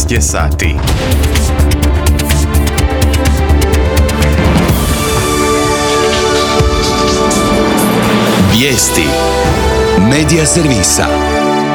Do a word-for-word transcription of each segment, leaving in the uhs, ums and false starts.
šest je sati. Vijesti Medija servisa.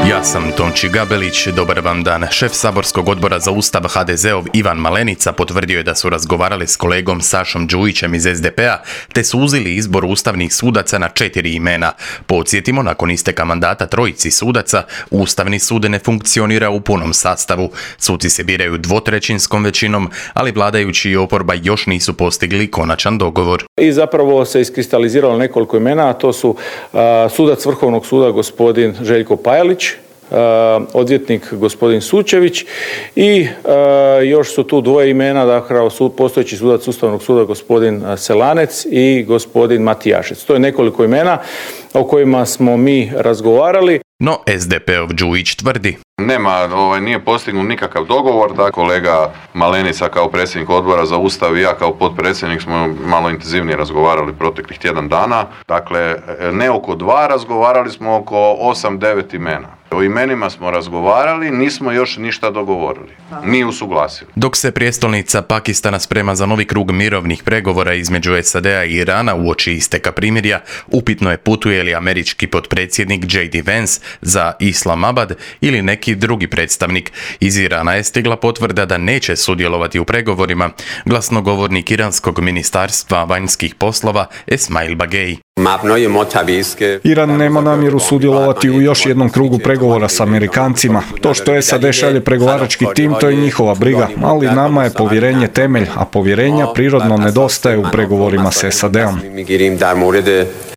Ja sam Tonči Gabelić, dobar vam dan. Šef saborskog odbora za Ustav ha de zeov Ivan Malenica potvrdio je da su razgovarali s kolegom Sašom Đujićem iz es de pe a, te su uzeli izbor ustavnih sudaca na četiri imena. Podsjetimo, nakon isteka mandata trojici sudaca, Ustavni sud ne funkcionira u punom sastavu. Suci se biraju dvotrećinskom većinom, ali vladajući i oporba još nisu postigli konačan dogovor. I zapravo se iskristaliziralo nekoliko imena, a to su uh, sudac Vrhovnog suda gospodin Željko Pajalić, Uh, odvjetnik gospodin Sučević i uh, još su tu dvoje imena, dakle sud, postojeći sudac Ustavnog suda gospodin Selanec i gospodin Matijašec. To je nekoliko imena o kojima smo mi razgovarali. No es de pe ov Đujić tvrdi: Nema, ovaj, nije postignut nikakav dogovor, da kolega Malenica kao predsjednik odbora za Ustav i ja kao potpredsjednik smo malo intenzivnije razgovarali proteklih tjedan dana. Dakle, ne oko dva, razgovarali smo oko osam, devet imena. O imenima smo razgovarali, nismo još ništa dogovorili, ni usuglasili. Dok se prijestolnica Pakistana sprema za novi krug mirovnih pregovora između es a de a i Irana uoči isteka primirja, upitno je putuje li američki potpredsjednik džej di Vance za Islamabad ili neki drugi predstavnik. Iz Irana je stigla potvrda da neće sudjelovati u pregovorima, glasnogovornik iranskog ministarstva vanjskih poslova Esmail Bagej. Iran nema namjeru sudjelovati u još jednom krugu pregovora s Amerikancima. To što es a de šalje pregovarački tim, to je njihova briga, ali nama je povjerenje temelj, a povjerenja prirodno nedostaje u pregovorima s es a de om.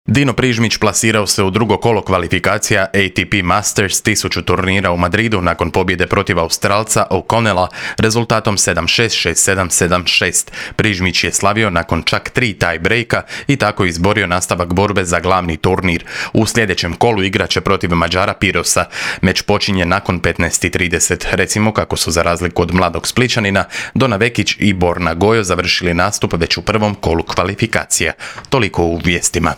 Dino Prižmić plasirao se u drugo kolo kvalifikacija A T P Masters tisuću turnira u Madridu nakon pobjede protiv Australca O'Connella rezultatom sedam šest, šest sedam, sedam šest. Prižmić je slavio nakon čak tri tie breaka i tako izborio nastavak borbe za glavni turnir. U sljedećem kolu igrat će protiv Mađara Pirosa. Meč počinje nakon petnaest i trideset. Recimo kako su za razliku od mladog Splićanina Dona Vekić i Borna Gojo završili nastup već u prvom kolu kvalifikacija. Toliko u vijestima.